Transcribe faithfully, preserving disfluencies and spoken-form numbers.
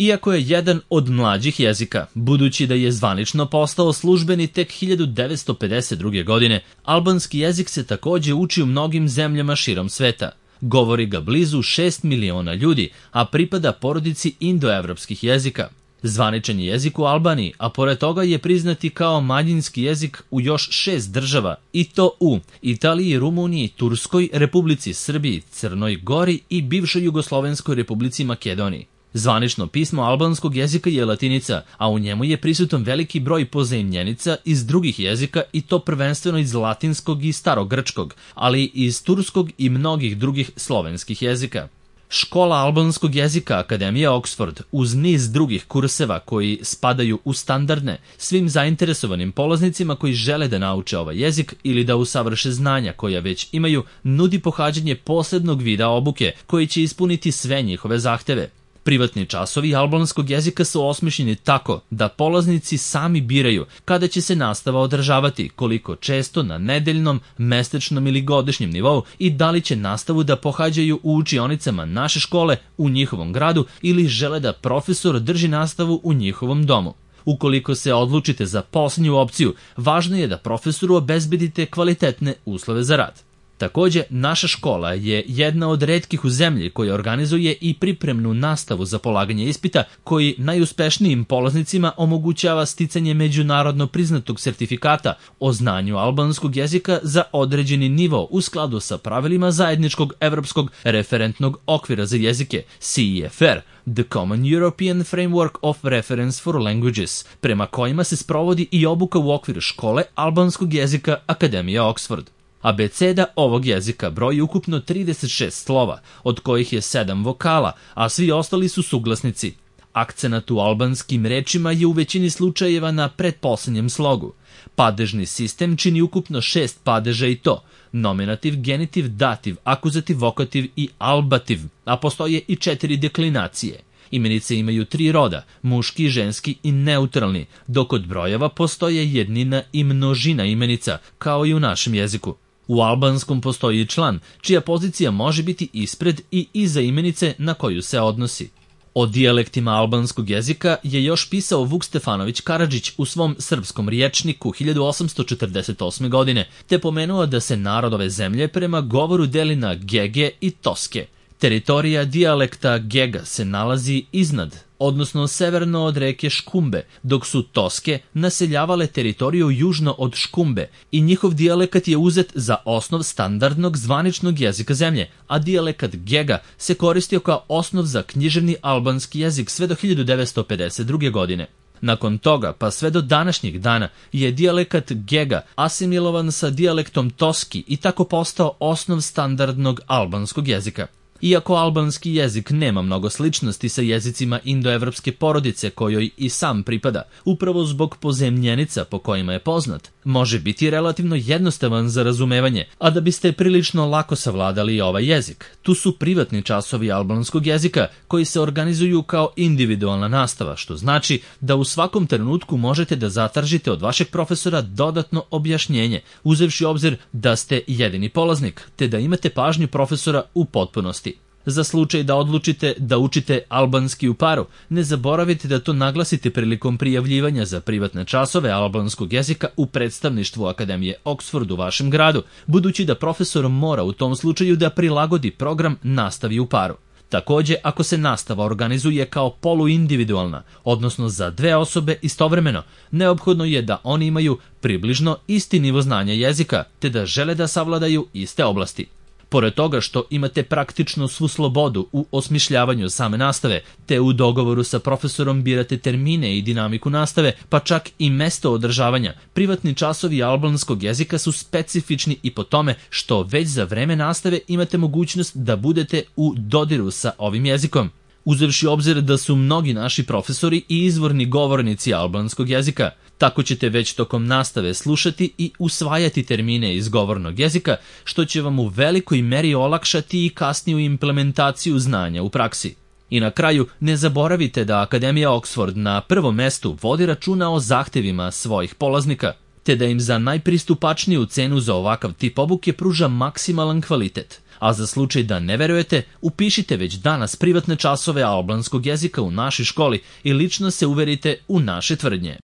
Iako je jedan od mlađih jezika, budući da je zvanično postao službeni tek hiljadu devetsto pedeset druge. godine, albanski jezik se takođe uči u mnogim zemljama širom sveta. Govori ga blizu šest miliona ljudi, a pripada porodici indoevropskih jezika. Zvaničan je jezik u Albaniji, a pored toga je priznati kao manjinski jezik u još šest država, i to u Italiji, Rumuniji, Turskoj, Republici Srbiji, Crnoj Gori i bivšoj Jugoslovenskoj Republici Makedoniji. Zvanično pismo albanskog jezika je latinica, a u njemu je prisutan veliki broj pozajmljenica iz drugih jezika i to prvenstveno iz latinskog i starogrčkog, ali i iz turskog i mnogih drugih slovenskih jezika. Škola albanskog jezika Akademija Oxford, uz niz drugih kurseva koji spadaju u standardne, svim zainteresovanim polaznicima koji žele da nauče ovaj jezik ili da usavrše znanja koja već imaju, nudi pohađanje posebnog vida obuke koji će ispuniti sve njihove zahteve. Privatni časovi albanskog jezika su osmišljeni tako da polaznici sami biraju kada će se nastava održavati, koliko često na nedeljnom, mesečnom ili godišnjem nivou i da li će nastavu da pohađaju u učionicama naše škole u njihovom gradu ili žele da profesor drži nastavu u njihovom domu. Ukoliko se odlučite za poslednju opciju, važno je da profesoru obezbedite kvalitetne uslove za rad. Takođe, naša škola je jedna od retkih u zemlji koja organizuje i pripremnu nastavu za polaganje ispita koji najuspešnijim polaznicima omogućava sticanje međunarodno priznatog sertifikata o znanju albanskog jezika za određeni nivo u skladu sa pravilima zajedničkog evropskog referentnog okvira za jezike C E F R, The Common European Framework of Reference for Languages, prema kojima se sprovodi i obuka u okviru škole albanskog jezika Akademija Oxford. Abeceda ovog jezika broji ukupno trideset šest slova, od kojih je sedam vokala, a svi ostali su suglasnici. Akcenat u albanskim rečima je u većini slučajeva na pretposlednjem slogu. Padežni sistem čini ukupno šest padeža i to nominativ, genitiv, dativ, akuzativ, vokativ i albativ, a postoje i četiri deklinacije. Imenice imaju tri roda, muški, ženski i neutralni, dok kod brojeva postoje jednina i množina imenica, kao i u našem jeziku. U albanskom postoji član, čija pozicija može biti ispred i iza imenice na koju se odnosi. O dijalektima albanskog jezika je još pisao Vuk Stefanović Karadžić u svom srpskom riječniku hiljadu osamsto četrdeset osme. godine, te pomenuo da se narod ove zemlje prema govoru deli na Gege i Toske. Teritorija dijalekta Gega se nalazi iznad, odnosno severno od reke Škumbe, dok su Toske naseljavale teritoriju južno od Škumbe i njihov dijalekat je uzet za osnov standardnog zvaničnog jezika zemlje, a dijalekat Gega se koristio kao osnov za književni albanski jezik sve do hiljadu devetsto pedeset druge. godine. Nakon toga, pa sve do današnjeg dana, je dijalekat Gega asimilovan sa dijalektom Toski i tako postao osnov standardnog albanskog jezika. Iako albanski jezik nema mnogo sličnosti sa jezicima indoevropske porodice kojoj i sam pripada, upravo zbog pozemljenica po kojima je poznat, može biti relativno jednostavan za razumevanje, a da biste prilično lako savladali ovaj jezik. Tu su privatni časovi albanskog jezika koji se organizuju kao individualna nastava, što znači da u svakom trenutku možete da zatražite od vašeg profesora dodatno objašnjenje, uzevši obzir da ste jedini polaznik, te da imate pažnju profesora u potpunosti. Za slučaj da odlučite da učite albanski u paru, ne zaboravite da to naglasite prilikom prijavljivanja za privatne časove albanskog jezika u predstavništvu Akademije Oxford u vašem gradu, budući da profesor mora u tom slučaju da prilagodi program nastavi u paru. Takođe, ako se nastava organizuje kao poluindividualna, odnosno za dve osobe istovremeno, neophodno je da oni imaju približno isti nivo znanja jezika, te da žele da savladaju iste oblasti. Pored toga što imate praktično svu slobodu u osmišljavanju same nastave, te u dogovoru sa profesorom birate termine i dinamiku nastave, pa čak i mesto održavanja, privatni časovi albanskog jezika su specifični i po tome što već za vreme nastave imate mogućnost da budete u dodiru sa ovim jezikom. Uzevši obzir da su mnogi naši profesori i izvorni govornici albanskog jezika, tako ćete već tokom nastave slušati i usvajati termine iz govornog jezika, što će vam u velikoj meri olakšati i kasniju implementaciju znanja u praksi. I na kraju, ne zaboravite da Akademija Oxford na prvom mestu vodi računa o zahtevima svojih polaznika, te da im za najpristupačniju cenu za ovakav tip obuke pruža maksimalan kvalitet. A za slučaj da ne verujete, upišite već danas privatne časove albanskog jezika u našoj školi i lično se uverite u naše tvrdnje.